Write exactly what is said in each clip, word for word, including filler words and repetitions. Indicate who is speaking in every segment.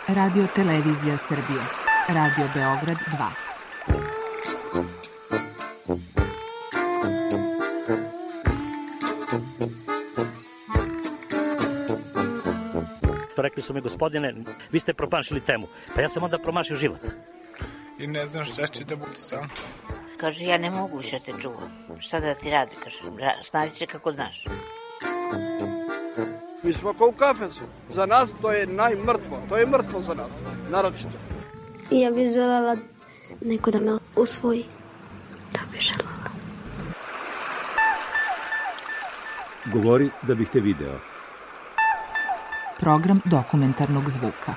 Speaker 1: Radio Televizija Srbije. Radio Beograd dva.
Speaker 2: Rekli su mi, gospodine, vi ste promašili temu. Pa ja sam onda promašio život.
Speaker 3: I ne znam šta će da bude sam.
Speaker 4: Kaže, ja ne mogu više te čuvam. Šta da ti radi, kaže, snađi se kako znaš.
Speaker 5: Mi smo kao u kafesu. Za nas to je najmrtvo. To je mrtvo za nas, naročito.
Speaker 6: Ja bih želela neko da me usvoji. To bih želela.
Speaker 7: Govori da bih te video.
Speaker 1: Program dokumentarnog zvuka.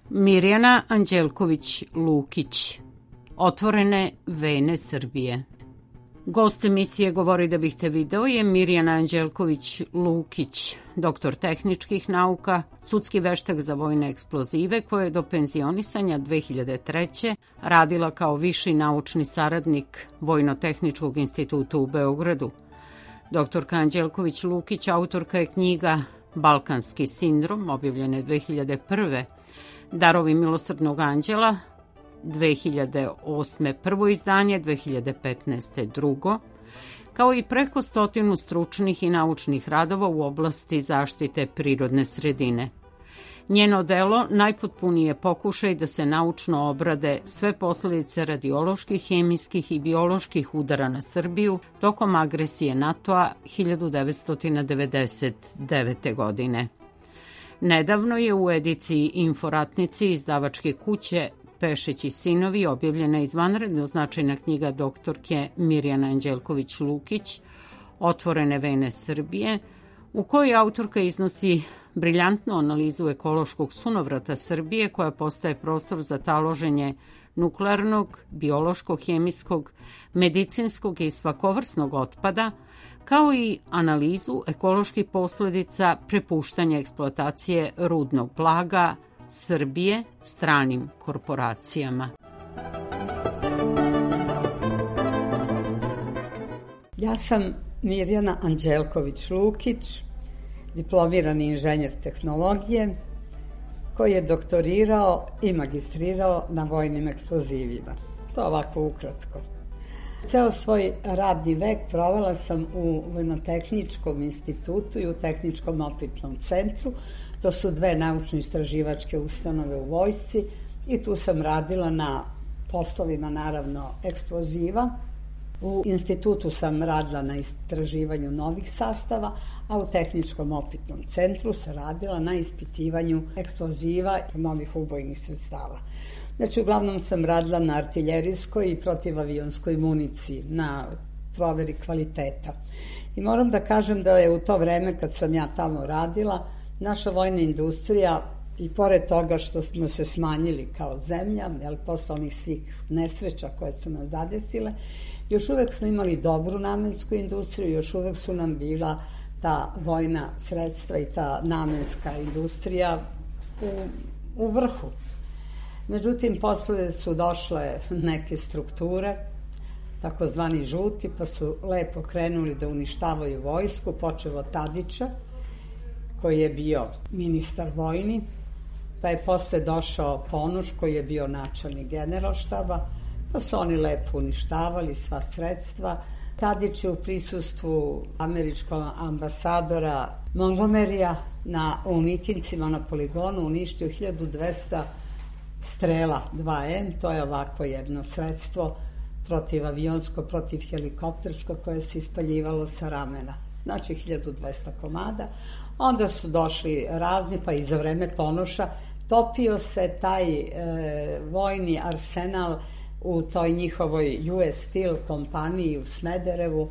Speaker 8: Mirjana Anđelković-Lukić. Otvorene vene Srbije. Gost emisije Govori da bih te video je Mirjana Anđelković-Lukić, doktor tehničkih nauka, sudski veštak za vojne eksplozive, koja je do penzionisanja dve hiljade treće. radila kao viši naučni saradnik Vojno-tehničkog instituta u Beogradu. Doktorka Anđelković-Lukić autorka je knjiga Balkanski sindrom, objavljene dve hiljade prve. Darovi milosrdnog anđela, dve hiljade osme prvo izdanje, dve hiljade petnaeste drugo, kao i preko stotinu stručnih i naučnih radova u oblasti zaštite prirodne sredine. Njeno delo najpotpuniji je pokušaj da se naučno obrade sve posledice radioloških, hemijskih i bioloških udara na Srbiju tokom agresije NATO-a hiljadu devetsto devedeset devete. godine. Nedavno je u ediciji Inforatnici izdavačke kuće Pešić i sinovi objavljena izvanredno značajna knjiga doktorke Mirjana Anđelković-Lukić Otvorene vene Srbije, u kojoj autorka iznosi briljantnu analizu ekološkog sunovrata Srbije, koja postaje prostor za taloženje nuklearnog, biološkog, hemijskog, medicinskog i svakovrsnog otpada, kao i analizu ekoloških posledica prepuštanja eksploatacije rudnog blaga Srbije stranim korporacijama.
Speaker 9: Ja sam Mirjana Anđelković-Lukić, diplomirani inženjer tehnologije, koji je doktorirao i magistrirao na vojnim eksplozivima. To ovako ukratko. Ceo svoj radni vek provela sam u Vojno-tehničkom institutu i u Tehničkom opitnom centru. To su dve naučno-istraživačke ustanove u vojsci i tu sam radila na poslovima, naravno, eksploziva. U institutu sam radila na istraživanju novih sastava, a u Tehničkom opitnom centru sam radila na ispitivanju eksploziva i novih ubojnih sredstava. Znači, uglavnom sam radila na artiljerijskoj i protivavionskoj municiji, na proveri kvaliteta. I moram da kažem da je u to vreme kad sam ja tamo radila, naša vojna industrija, i pored toga što smo se smanjili kao zemlja, jel, posle onih svih nesreća koje su nas zadesile, još uvek smo imali dobru namensku industriju, još uvek su nam bila ta vojna sredstva i ta namenska industrija u, u vrhu. Međutim, posle su došle neke strukture, takozvani žuti, pa su lepo krenuli da uništavaju vojsku, počev od Tadića, koji je bio ministar vojni, pa je posle došao Ponoš, koji je bio načelnik generalštaba, pa su oni lepo uništavali sva sredstva. Tadić je u prisustvu američkog ambasadora Montgomerya na, u Nikincima na poligonu uništio hiljadu dvesta strela dva em, to je ovako jedno sredstvo protivavionsko, protivhelikoptersko, koje se ispaljivalo sa ramena. Znači hiljadu dvesta komada. Onda su došli razni, pa i za vreme Ponoša topio se taj e, vojni arsenal u toj njihovoj U S Steel kompaniji u Smederevu,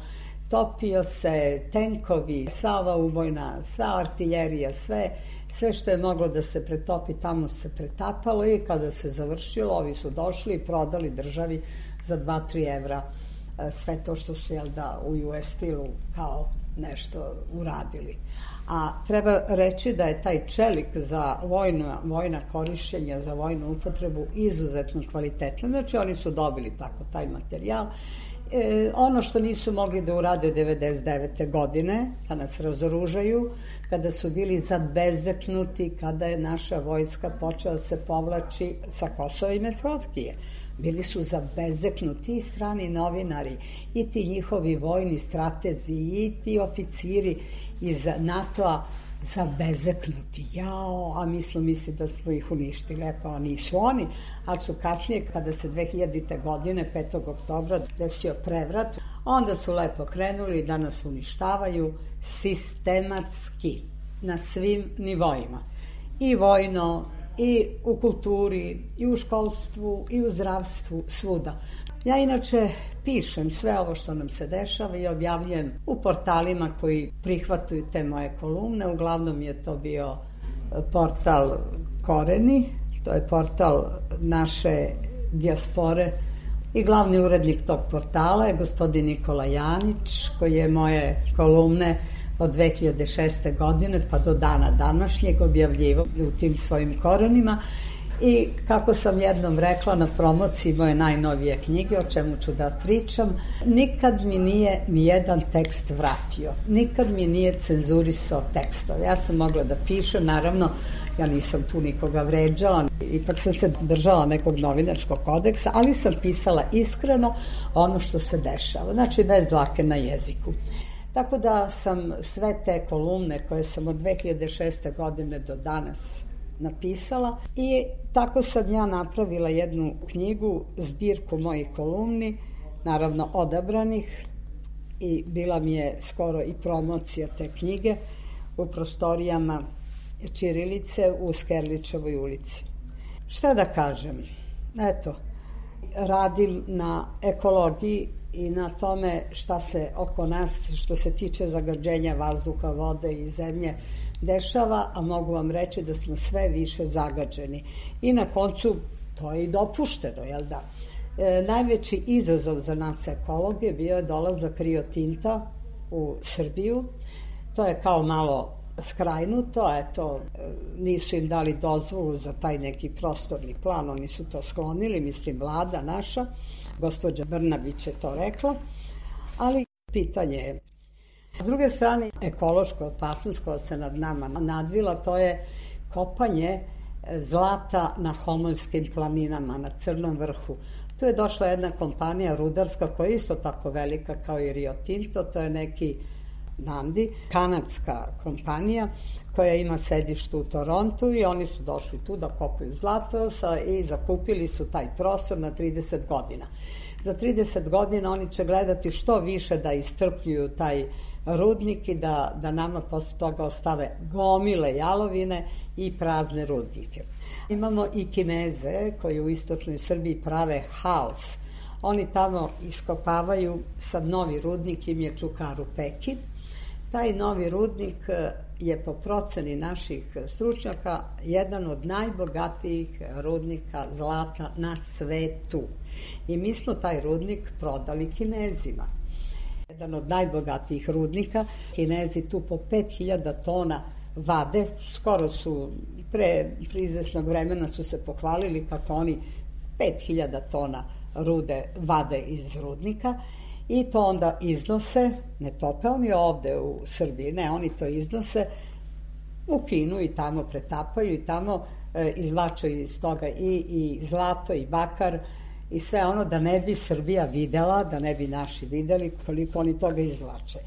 Speaker 9: topio se tenkovi, sva ova ubojna, sva artiljerija, sve, sve što je moglo da se pretopi tamo se pretapalo i kada se završilo, ovi su došli i prodali državi za dva do tri evra sve to što su, jel da, u U S Steelu kao nešto uradili. A treba reći da je taj čelik za vojna, vojna korišćenja, za vojnu upotrebu izuzetno kvalitetan. Znači oni su dobili tako taj materijal E, ono što nisu mogli da urade devedeset devete godine, da nas razoružaju, kada su bili zabezeknuti, kada je naša vojska počela da se povlači sa Kosova i Metohije. Bili su zabezeknuti i strani novinari, i ti njihovi vojni stratezi, i ti oficiri iz NATO-a zabezeknuti. Jao, a mi smo misli da smo ih uništili. E pa nisu oni, ali su kasnije, kada se dve hiljadite. godine, petog oktobra, desio prevrat, onda su lepo krenuli i da nas uništavaju sistematski, na svim nivoima. I vojno, i u kulturi, i u školstvu, i u zdravstvu, svuda. Ja inače pišem sve ovo što nam se dešava i objavljujem u portalima koji prihvataju te moje kolumne. Uglavnom je to bio portal Koreni, to je portal naše dijaspore, i glavni urednik tog portala je gospodin Nikola Janić, koji je moje kolumne od dve hiljade šeste. godine pa do dana današnjeg objavljivao u tim svojim korenima. I kako sam jednom rekla na promociji moje najnovije knjige, o čemu ću da pričam, nikad mi nije ni jedan tekst vratio, nikad mi nije cenzurisao tekstove. Ja sam mogla da pišem, naravno, ja nisam tu nikoga vređala, ipak sam se držala nekog novinarskog kodeksa, ali sam pisala iskreno ono što se dešava, znači bez dlake na jeziku. Tako da sam sve te kolumne koje sam od dve hiljade šeste. godine do danas napisala i tako sam ja napravila jednu knjigu, zbirku mojih kolumni, naravno odabranih, i bila mi je skoro i promocija te knjige u prostorijama ćirilice u Skerličevoj ulici. Šta da kažem? Eto, radim na ekologiji i na tome šta se oko nas, što se tiče zagađenja vazduha, vode i zemlje, dešava, a mogu vam reći da smo sve više zagađeni. I na koncu, to je i dopušteno, jel da? E, najveći izazov za nas ekologe bio je dolazak Rio Tinta u Srbiju. To je kao malo skrajnuto, eto, nisu im dali dozvolu za taj neki prostorni plan, oni su to sklonili, mislim vlada naša, gospođa Brnabić je to rekla, ali pitanje je. S druge strane, ekološka opasnost koja se nad nama nadvila, to je kopanje zlata na Homoljskim planinama, na Crnom vrhu. Tu je došla jedna kompanija rudarska koja je isto tako velika kao i Rio Tinto, to je neki Nandi, kanadska kompanija koja ima sedište u Torontu, i oni su došli tu da kopaju zlato i zakupili su taj prostor na trideset godina. Za trideset godina oni će gledati što više da istrpljuju taj rudnik i da, da nama posle toga ostave gomile jalovine i prazne rudnike. Imamo i Kineze koji u istočnoj Srbiji prave haos. Oni tamo iskopavaju, sad novi rudnik im je Čukaru Peki. Taj novi rudnik je po proceni naših stručnjaka jedan od najbogatijih rudnika zlata na svetu. I mi smo taj rudnik prodali Kinezima. Jedan od najbogatijih rudnika. Kinezi tu po pet hiljada tona vade. Skoro su, pre, pre izvesnog vremena su se pohvalili kako oni pet hiljada tona rude vade iz rudnika. I to onda iznose, ne tope oni ovde u Srbiji, ne, oni to iznose u Kinu i tamo pretapaju i tamo e, izvlačaju iz toga i, i zlato i bakar i sve ono da ne bi Srbija videla, da ne bi naši videli koliko oni toga izvlače.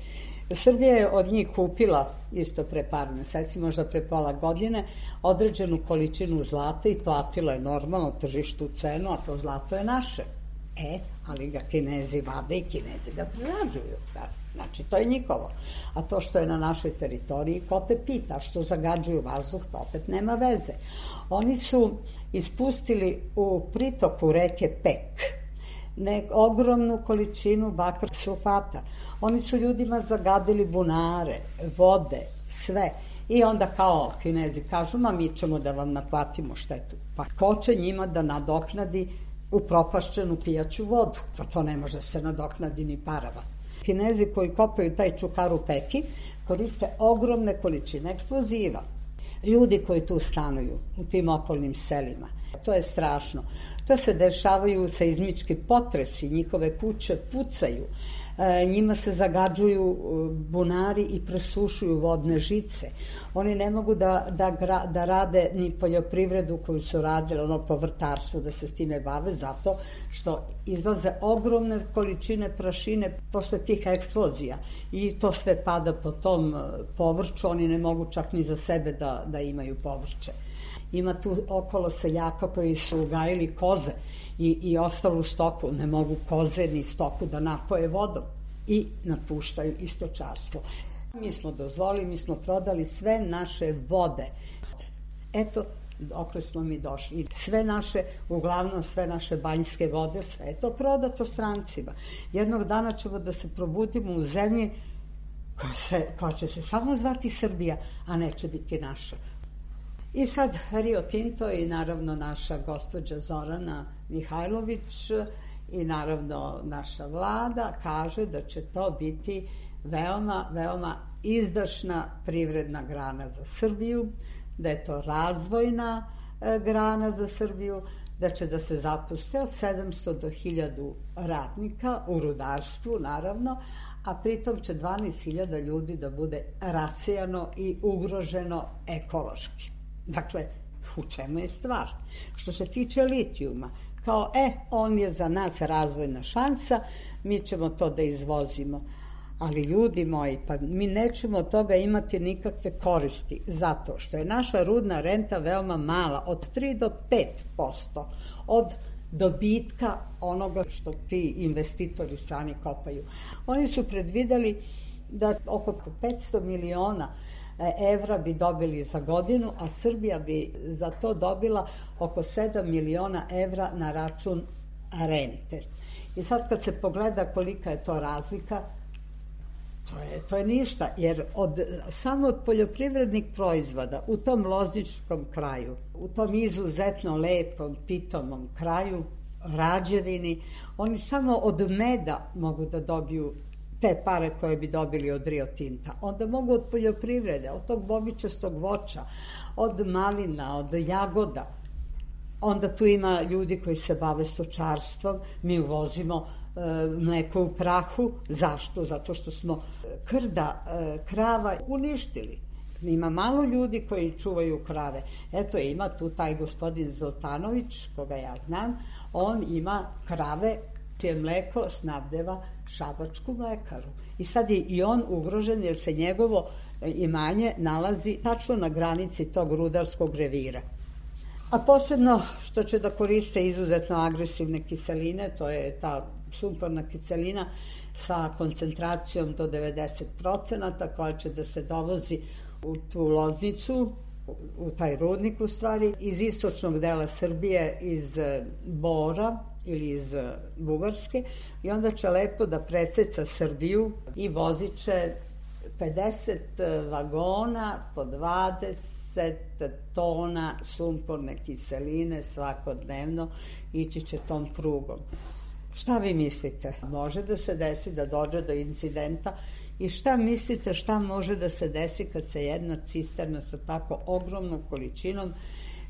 Speaker 9: Srbija je od njih kupila isto pre par meseci, možda pre pola godine, određenu količinu zlata i platila je normalno tržištu cenu, a to zlato je naše. E, ali ga Kinezi vade i Kinezi ga prerađuju. Da. Znači, to je njihovo. A to što je na našoj teritoriji, ko te pita što zagađuju vazduh, to opet nema veze. Oni su ispustili u pritoku reke Pek ne, ogromnu količinu bakar sulfata. Oni su ljudima zagadili bunare, vode, sve. I onda kao Kinezi kažu, ma mi ćemo da vam naplatimo štetu. Pa ko će njima da nadoknadi upropašćenu pijaću vodu? Pa to ne može se nadoknadi ni parama. Kinezi koji kopaju taj Čukaru Peki koriste ogromne količine eksploziva. Ljudi koji tu stanuju u tim okolnim selima, to je strašno. To se dešavaju seizmički potresi, njihove kuće pucaju, njima se zagađuju bunari i presušuju vodne žice. Oni ne mogu da, da, da rade ni poljoprivredu koju su radili, ono povrtarstvo, da se s time bave, zato što izlaze ogromne količine prašine posle tih eksplozija i to sve pada po tom povrću, oni ne mogu čak ni za sebe da, da imaju povrće. Ima tu okolo seljaka koji su ugajili koze i, i ostalu stoku, ne mogu koze ni stoku da napoje vodom i napuštaju istočarstvo. Mi smo dozvolili, mi smo prodali sve naše vode. Eto, dokle smo mi došli. Sve naše, uglavnom sve naše banjske vode, sve je to prodato strancima. Jednog dana ćemo da se probudimo u zemlji koja, se, koja će se samo zvati Srbija, a neće biti naša. I sad Rio Tinto i naravno naša gospođa Zorana Mihajlović i naravno naša vlada kaže da će to biti veoma, veoma izdašna privredna grana za Srbiju, da je to razvojna e, grana za Srbiju, da će da se zaposle od sedamsto do hiljadu radnika u rudarstvu naravno, a pritom će dvanaest hiljada ljudi da bude rasijano i ugroženo ekološki. Dakle, u čemu je stvar? Što se tiče litijuma, kao, e, on je za nas razvojna šansa, mi ćemo to da izvozimo. Ali ljudi moji, pa mi nećemo od toga imati nikakve koristi, zato što je naša rudna renta veoma mala, od tri do pet posto od dobitka onoga što ti investitori strani kopaju. Oni su predvideli da oko petsto miliona evra bi dobili za godinu, a Srbija bi za to dobila oko sedam miliona evra na račun rente. I sad kad se pogleda kolika je to razlika, to je, to je ništa, jer od, samo od poljoprivrednih proizvoda u tom lozničkom kraju, u tom izuzetno lepom, pitomom kraju, Rađevini, oni samo od meda mogu da dobiju te pare koje bi dobili od Rio Tinta. Onda mogu od poljoprivrede, od tog bobičastog voća, od malina, od jagoda. Onda tu ima ljudi koji se bave stočarstvom, mi uvozimo e, mleko u prahu. Zašto? Zato što smo krda e, krava uništili. Ima malo ljudi koji čuvaju krave. Eto, ima tu taj gospodin Zoltanović, koga ja znam, on ima krave čije mleko snabdeva šabačku mlekaru. I sad je i on ugrožen jer se njegovo imanje nalazi tačno na granici tog rudarskog revira. A posebno što će da koriste izuzetno agresivne kiseline, to je ta sumporna kiselina sa koncentracijom do devedeset procenata koja će da se dovozi u tu Loznicu, u taj rudnik u stvari, iz istočnog dela Srbije, iz Bora ili iz Bugarske, i onda će lepo da preseca Srbiju i vozit će pedeset vagona po dvadeset tona sumporne kiseline svakodnevno, ići će tom prugom. Šta vi mislite? Može da se desi da dođe do incidenta i šta mislite šta može da se desi kad se jedna cisterna sa tako ogromnom količinom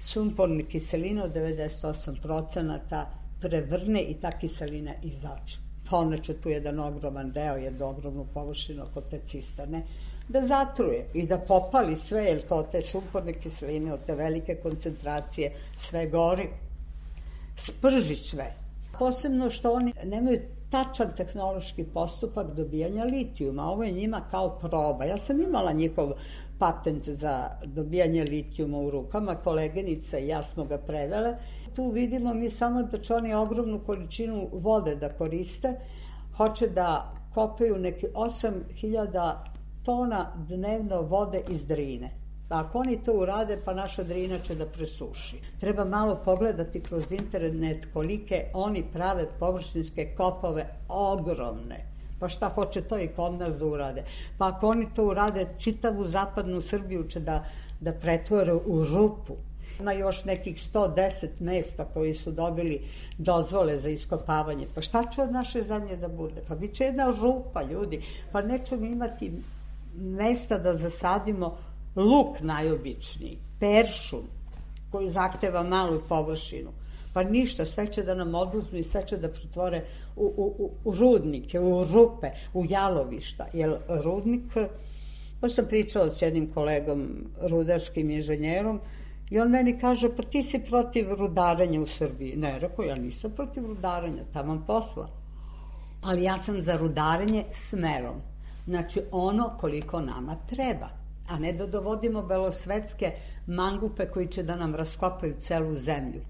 Speaker 9: sumporne kiseline od devedeset osam procenata prevrne i ta kiselina izađe. Pa ona će tu jedan ogroman deo, jednu ogromnu površinu oko te cisterne da zatruje i da popali sve, jer to te sumporne kiseline od te velike koncentracije sve gori, sprži sve. Posebno što oni nemaju tačan tehnološki postupak dobijanja litijuma. Ovo je njima kao proba. Ja sam imala njihov patent za dobijanje litijuma u rukama, koleginica i ja smo ga prevele. Tu vidimo mi samo da će oni ogromnu količinu vode da koriste, hoće da kopaju neki osam hiljada tona dnevno vode iz Drine. Ako oni to urade, pa naša Drina će da presuši. Treba malo pogledati kroz internet kolike oni prave površinske kopove, ogromne. Pa šta hoće to i kod nas da urade? Pa ako oni to urade, čitavu zapadnu Srbiju će da, da pretvore u rupu. Ima još nekih sto deset mesta koji su dobili dozvole za iskopavanje. Pa šta će od naše zemlje da bude? Pa bit će jedna rupa, ljudi. Pa nećemo imati mesta da zasadimo luk najobičniji, peršun koji zahteva malu površinu. Pa ništa, sve će da nam oduzmu i sve će da pretvore u, u, u rudnike, u rupe, u jalovišta. Jer rudnik, pa sam pričala s jednim kolegom, rudarskim inženjerom, i on meni kaže, pa ti si protiv rudarenja u Srbiji. Ne, rekao, ja nisam protiv rudarenja, taman posla. Ali ja sam za rudarenje smerom. Znači, ono koliko nama treba. A ne da dovodimo belosvetske mangupe koji će da nam raskopaju celu zemlju.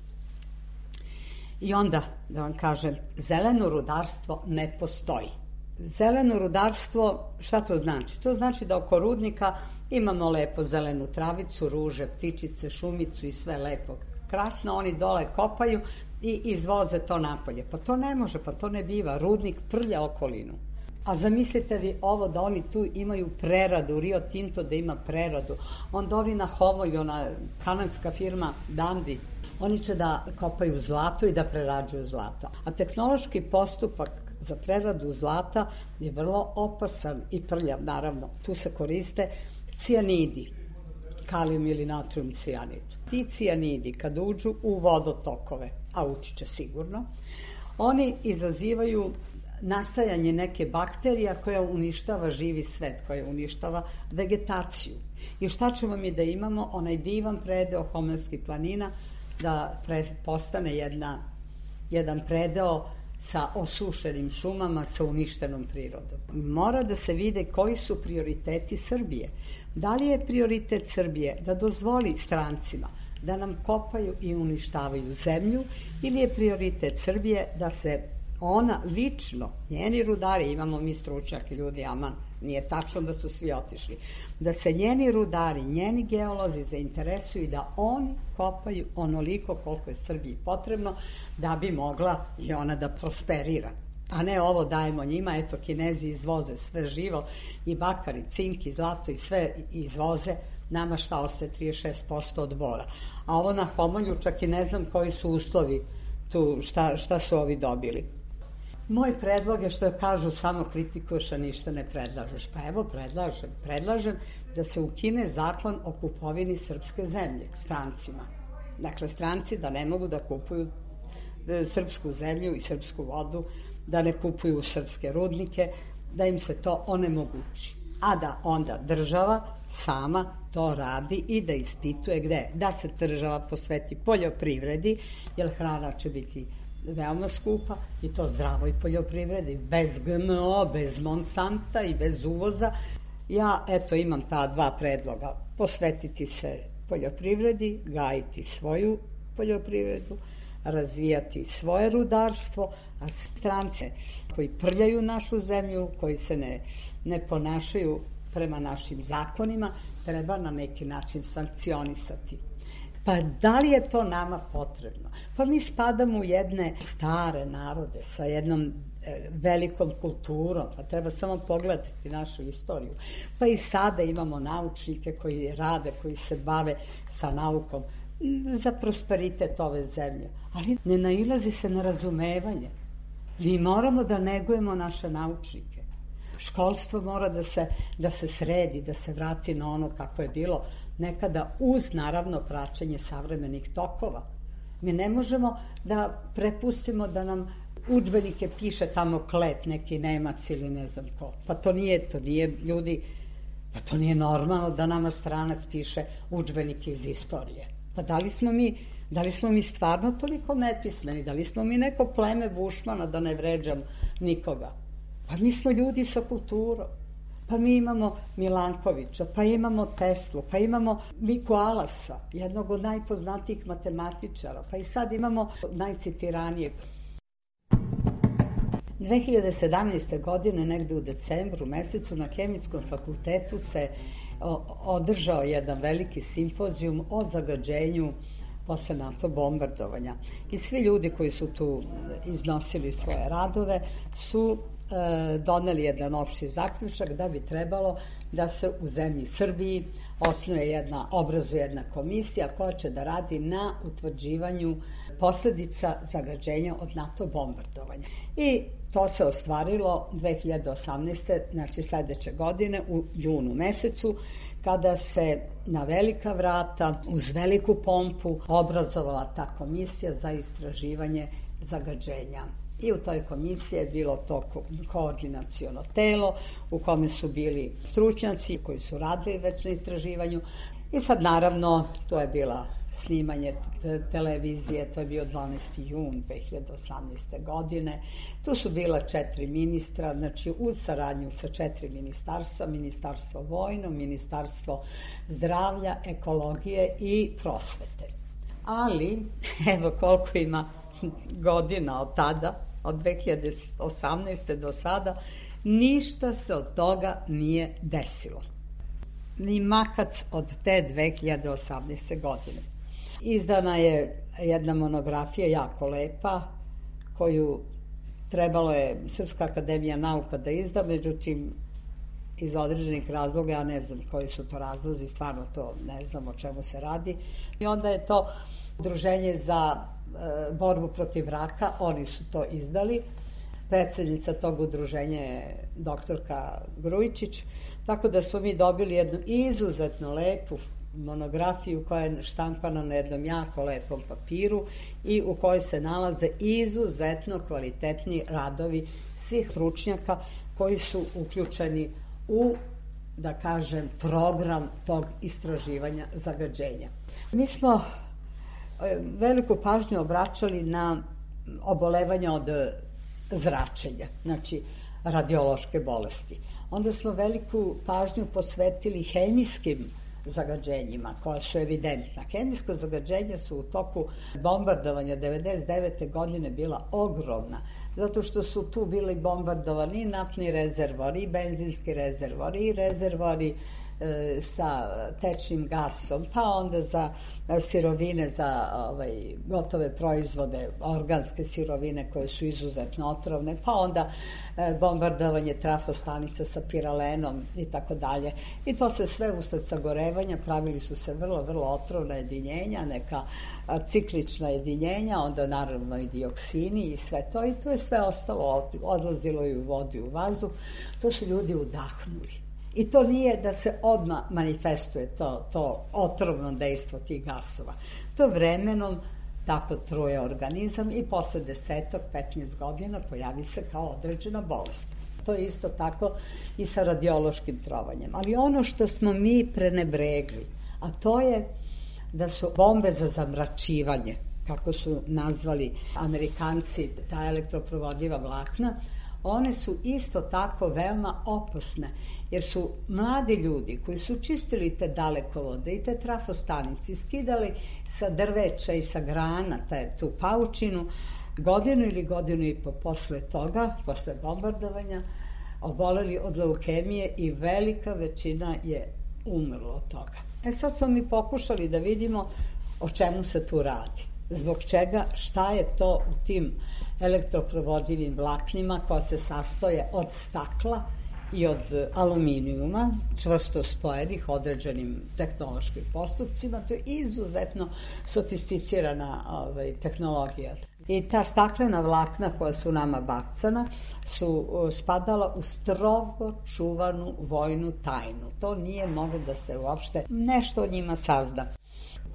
Speaker 9: I onda, da vam kažem, zeleno rudarstvo ne postoji. Zeleno rudarstvo, šta to znači? To znači da oko rudnika imamo lepo zelenu travicu, ruže, ptičice, šumicu i sve lepo. Krasno, oni dole kopaju i izvoze to napolje. Pa to ne može, pa to ne biva. Rudnik prlja okolinu. A zamislite vi ovo da oni tu imaju preradu, Rio Tinto da ima preradu. Onda ovi na Homolju, ona kanadska firma Dundee, oni će da kopaju zlato i da prerađuju zlato. A tehnološki postupak za preradu zlata je vrlo opasan i prljav, naravno. Tu se koriste cijanidi, kalijum ili natrium cijanid. Ti cijanidi kad uđu u vodotokove, a ući će sigurno, oni izazivaju nastajanje neke bakterija koja uništava živi svet, koja uništava vegetaciju. I šta ćemo mi da imamo? Onaj divan predeo Homelskih planina da pre, postane jedna, jedan predeo sa osušenim šumama, sa uništenom prirodom. Mora da se vide koji su prioriteti Srbije. Da li je prioritet Srbije da dozvoli strancima da nam kopaju i uništavaju zemlju, ili je prioritet Srbije da se ona lično, njeni rudari, imamo mi stručnjaki ljudi, aman, nije tačno da su svi otišli, da se njeni rudari, njeni geolozi zainteresuju da oni kopaju onoliko koliko je Srbiji potrebno da bi mogla i ona da prosperira. A ne ovo dajemo njima, eto Kinezi izvoze sve živo, i bakar, i cink, i zlato, i sve izvoze, nama šta ostaje trideset šest posto od bora. A ovo na Homolju čak i ne znam koji su uslovi tu, šta, šta su ovi dobili. Moj predlog je, što kažu, samo kritikuješ, a ništa ne predlažeš. Pa evo, predlažem. Predlažem da se ukine zakon o kupovini srpske zemlje strancima. Dakle, stranci da ne mogu da kupuju srpsku zemlju i srpsku vodu, da ne kupuju srpske rudnike, da im se to onemogući. A da onda država sama to radi i da ispituje gde. Da se država posveti poljoprivredi, jer hrana će biti veoma skupa, i to zdravoj poljoprivredi, bez G M O, bez Monsanta i bez uvoza. Ja, eto, imam ta dva predloga. Posvetiti se poljoprivredi, gajiti svoju poljoprivredu, razvijati svoje rudarstvo, a strance koji prljaju našu zemlju, koji se ne, ne ponašaju prema našim zakonima, treba na neki način sankcionisati. Pa da li je to nama potrebno? Pa mi spadamo u jedne stare narode sa jednom e, velikom kulturom, pa treba samo pogledati našu istoriju. Pa i sada imamo naučnike koji rade, koji se bave sa naukom za prosperitet ove zemlje. Ali ne nailazi se na razumevanje. Mi moramo da negujemo naše naučnike. Školstvo mora da se, da se sredi, da se vrati na ono kako je bilo nekada, uz naravno praćenje savremenih tokova. Mi ne možemo da prepustimo da nam udžbenike piše tamo Klet, neki Nemac ili ne znam ko. Pa to nije, to nije ljudi, pa to nije normalno da nama stranac piše udžbenike iz istorije. Pa da li smo mi, da li smo mi stvarno toliko nepismeni, da li smo mi neko pleme Bušmana, da ne vređam nikoga? Pa mi smo ljudi sa kulturom. Pa mi imamo Milankovića, pa imamo Teslu, pa imamo Miku Alasa, jednog od najpoznatijih matematičara, pa i sad imamo najcitiranijeg. dve hiljade sedamnaeste. godine, negde u decembru mesecu, na Hemijskom fakultetu se održao jedan veliki simpozijum o zagađenju posle NATO bombardovanja. I svi ljudi koji su tu iznosili svoje radove su doneli jedan opšti zaključak da bi trebalo da se u zemlji Srbiji osnuje jedna, obrazuje jedna komisija koja će da radi na utvrđivanju posledica zagađenja od NATO bombardovanja. I to se ostvarilo dve hiljade osamnaeste. znači sledeće godine u junu mesecu, kada se na velika vrata, uz veliku pompu, obrazovala ta komisija za istraživanje zagađenja. I u toj komisiji je bilo to ko- koordinaciono telo u kome su bili stručnjaci koji su radili već na istraživanju. I sad naravno to je bila snimanje te- televizije, to je bio dvanaesti jun dve hiljade osamnaeste. godine. Tu su bila četiri ministra, znači uz saradnju sa četiri ministarstva, ministarstvo vojno, ministarstvo zdravlja, ekologije i prosvete. Ali, evo koliko ima godina od tada, od dve hiljade osamnaeste. do sada, ništa se od toga nije desilo. Ni makac od te dve hiljade osamnaeste. godine. Izdana je jedna monografija jako lepa, koju trebalo je Srpska akademija nauka da izda, međutim, iz određenih razloga, ja ne znam koji su to razlozi, stvarno to ne znam o čemu se radi. I onda je to Udruženje za e, borbu protiv raka, oni su to izdali. Predsednica tog udruženja je doktorka Grujičić, tako da smo mi dobili jednu izuzetno lepu monografiju koja je štampana na jednom jako lepom papiru i u kojoj se nalaze izuzetno kvalitetni radovi svih stručnjaka koji su uključeni u, da kažem, program tog istraživanja zagađenja. Mi smo veliku pažnju obraćali na obolevanja od zračenja, znači radiološke bolesti. Onda smo veliku pažnju posvetili hemijskim zagađenjima koja su evidentna. Hemijska zagađenja su u toku bombardovanja devedeset devete. godine bila ogromna, zato što su tu bili bombardovani i naftni rezervori, i benzinski rezervori, i rezervori e, sa tečnim gasom, pa onda za sirovine, za ovaj, gotove proizvode, organske sirovine koje su izuzetno otrovne, pa onda e, bombardovanje trafostanica sa piralenom i tako dalje. I to se sve usled sagorevanja, pravili su se vrlo, vrlo otrovna jedinjenja, neka a, ciklična jedinjenja, onda naravno i dioksini i sve to, i to je sve ostalo, odlazilo i u vodu i u vazduh. To su ljudi udahnuli. I to nije da se odmah manifestuje to, to otrovno dejstvo tih gasova. To vremenom tako truje organizam i posle desetak, petnaest godina pojavi se kao određena bolest. To je isto tako i sa radiološkim trovanjem. Ali ono što smo mi prenebregli, a to je da su bombe za zamračivanje, kako su nazvali Amerikanci ta elektroprovodljiva vlakna, one su isto tako veoma opasne, jer su mladi ljudi koji su čistili te dalekovode i te trafostanice, skidali sa drveća i sa grana te, tu paučinu, godinu ili godinu i po posle toga, posle bombardovanja, oboleli od leukemije i velika većina je umrlo od toga. E sad smo mi pokušali da vidimo o čemu se tu radi. Zbog čega, šta je to u tim elektroprovodljivim vlaknima koja se sastoje od stakla i od aluminijuma, čvrsto spojenih određenim tehnološkim postupcima. To je izuzetno sofisticirana ovaj, tehnologija. I ta staklena vlakna koja su nama bacana su spadala u strogo čuvanu vojnu tajnu. To nije moglo da se uopšte nešto o njima sazna.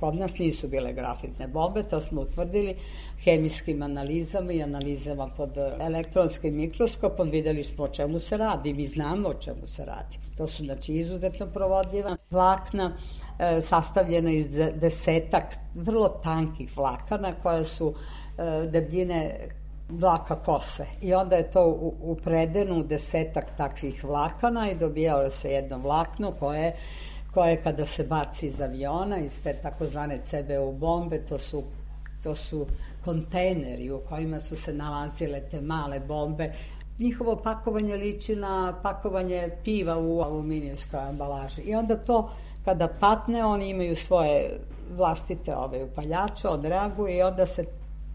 Speaker 9: Kod nas nisu bile grafitne bombe, to smo utvrdili hemijskim analizama i analizama pod elektronskim mikroskopom. Videli smo o čemu se radi, mi znamo o čemu se radi. To su znači izuzetno provodljiva vlakna, e, sastavljena iz desetak vrlo tankih vlakana koja su e, debljine vlaka kose. I onda je to u, u predenu desetak takvih vlakana i dobijalo se jedno vlakno koje koje kada se baci iz aviona, iz te takozvane ce be u bombe, to su, to su kontejneri u kojima su se nalazile te male bombe. Njihovo pakovanje liči na pakovanje piva u aluminijskoj ambalaži. I onda to, kada patne, oni imaju svoje vlastite ove upaljače, odreaguju i onda se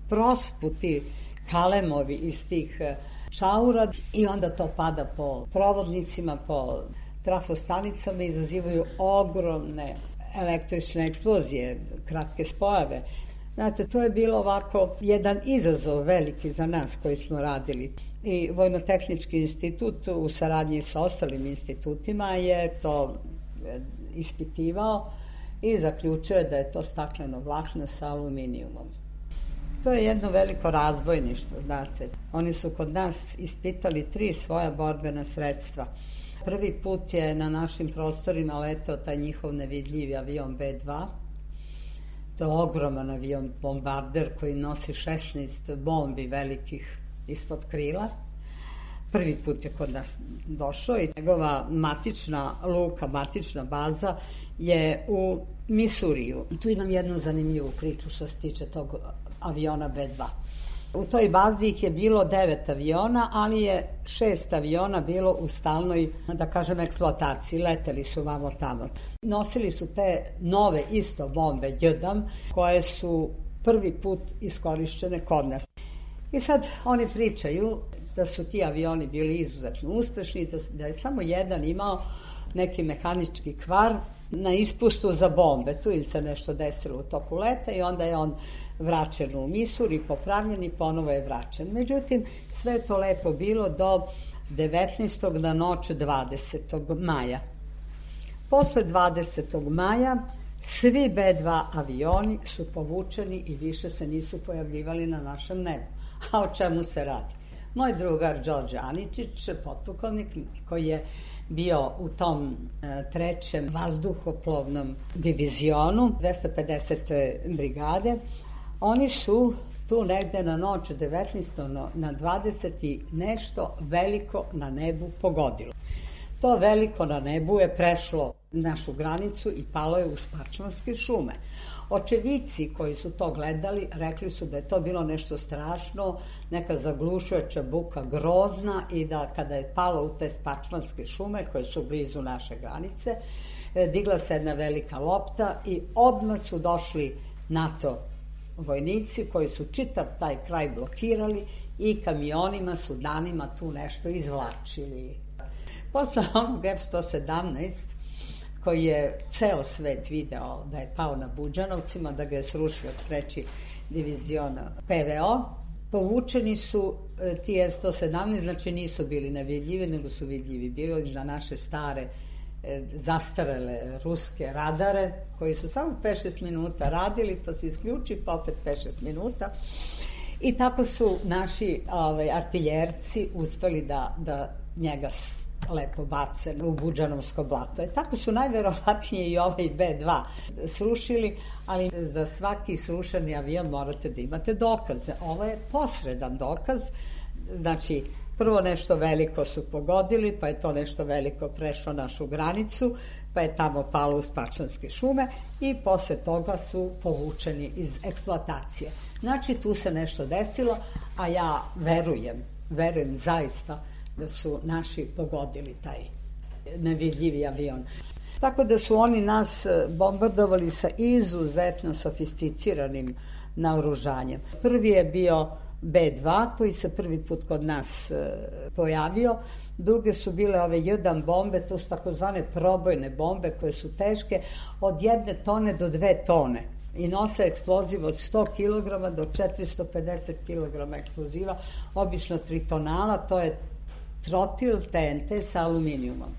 Speaker 9: prosputi kalemovi iz tih čaura i onda to pada po provodnicima, po trafostanicama, izazivaju ogromne električne eksplozije, kratke spojave. Znate, to je bilo ovako jedan izazov veliki za nas koji smo radili. I Vojno-tehnički institut u saradnji sa ostalim institutima je to ispitivao i zaključio je da je to stakleno vlakno sa aluminijumom. To je jedno veliko razbojništvo, znate. Oni su kod nas ispitali tri svoja borbena sredstva. Prvi put je na našim prostorima letao taj njihov nevidljivi avion be dva. To je ogroman avion bombarder koji nosi šesnaest bombi velikih ispod krila. Prvi put je kod nas došao i njegova matična luka, matična baza je u Misuriju. Tu imam jednu zanimljivu priču što se tiče tog aviona be dva. U toj bazi ih je bilo devet aviona, ali je šest aviona bilo u stalnoj, da kažem, eksploataciji. Leteli su vamo tamo. Nosili su te nove isto bombe jedan, koje su prvi put iskorišćene kod nas. I sad oni pričaju da su ti avioni bili izuzetno uspešni, da je samo jedan imao neki mehanički kvar na ispustu za bombe. Tu im se nešto desilo u toku leta i onda je on vraćen u Misuri, popravljen i ponovo je vraćen. Međutim, sve to lepo bilo do devetnaestog na noć dvadesetog maja. Posle dvadesetog maja svi be dva avioni su povučeni i više se nisu pojavljivali na našem nebu. A o čemu se radi? Moj drugar Đorđe Aničić, potpukovnik, koji je bio u tom e, trećem vazduhoplovnom divizionu dvesta pedesete brigade, oni su tu negde na noć devetnaestog na dvadeseti nešto veliko na nebu pogodilo. To veliko na nebu je prešlo našu granicu i palo je u Spačvanske šume. Očevici koji su to gledali rekli su da je to bilo nešto strašno, neka zaglušujuća buka grozna i da kada je palo u te Spačvanske šume koje su blizu naše granice, digla se jedna velika lopta i odmah su došli NATO vojnici koji su čitav taj kraj blokirali i kamionima su danima tu nešto izvlačili. Posle onog F sto sedamnaest koji je ceo svet video da je pao na Buđanovcima, da ga je srušio treći divizion pe ve o, povučeni su ti F sto sedamnaest, znači nisu bili nevidljivi, nego su vidljivi bili za naše stare zastarele ruske radare, koji su samo pet šest minuta radili, pa se isključi, pa opet pet šest minuta. I tako su naši ovaj, artiljerci uspeli da, da njega lepo bace u Buđanovsko blato. E, tako su najverovatnije i ovaj be dva srušili, ali za svaki srušeni avion morate da imate dokaze. Ovo je posredan dokaz, znači prvo nešto veliko su pogodili, pa je to nešto veliko prešlo našu granicu, pa je tamo palo u Spačvanske šume i posle toga su povučeni iz eksploatacije. Znači tu se nešto desilo, a ja verujem, verujem zaista da su naši pogodili taj nevidljivi avion. Tako da su oni nas bombardovali sa izuzetno sofisticiranim naoružanjem. Prvi je bio be dva koji se prvi put kod nas e, pojavio, druge su bile ove jedan bombe, to su takozvane probojne bombe koje su teške od jedne tone do dve tone i nose eksploziv od sto kilograma do četiristo pedeset kilograma eksploziva, obično tritonala, to je trotil te en te sa aluminijumom.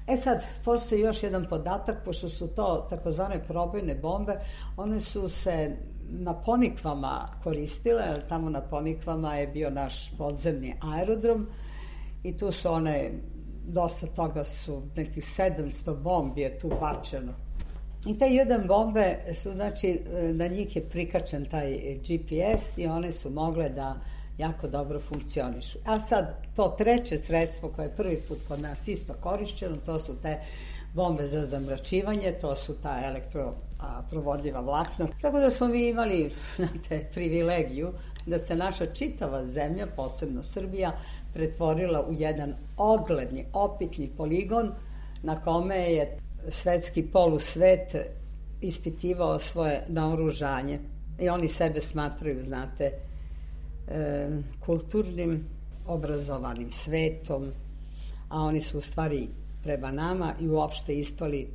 Speaker 9: E sad, postoji još jedan podatak, pošto su to takozvane probojne bombe, one su se na Ponikvama koristile, jer tamo na Ponikvama je bio naš podzemni aerodrom i tu su one, dosta toga su, nekih sedamsto bombi je tu bačeno. I te jedan bombe su, znači, na njih je prikačen taj ge pe es i one su mogle da jako dobro funkcionišu. A sad, to treće sredstvo koje je prvi put kod nas isto korišćeno, to su te bombe za zamračivanje, to su ta elektroprovodljiva vlakna. Tako da smo mi imali, znate, privilegiju da se naša čitava zemlja, posebno Srbija, pretvorila u jedan ogledni, opitni poligon na kome je svetski polusvet ispitivao svoje naoružanje. I oni sebe smatraju, znate, e, kulturnim, obrazovanim svetom, a oni su u stvari prema nama i uopšte ispali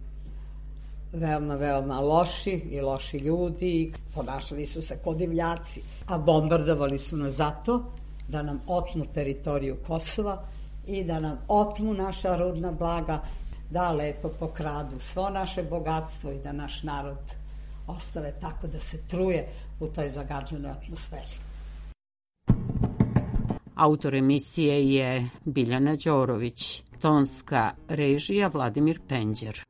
Speaker 9: veoma, veoma loši i loši ljudi, ponašali su se kao divljaci, a bombardovali su nas zato da nam otmu teritoriju Kosova i da nam otmu naša rudna blaga, da lepo pokradu svo naše bogatstvo i da naš narod ostave tako da se truje u toj zagađenoj atmosferi.
Speaker 8: Autor emisije je Biljana Đorović, tonska režija Vladimir Penđer.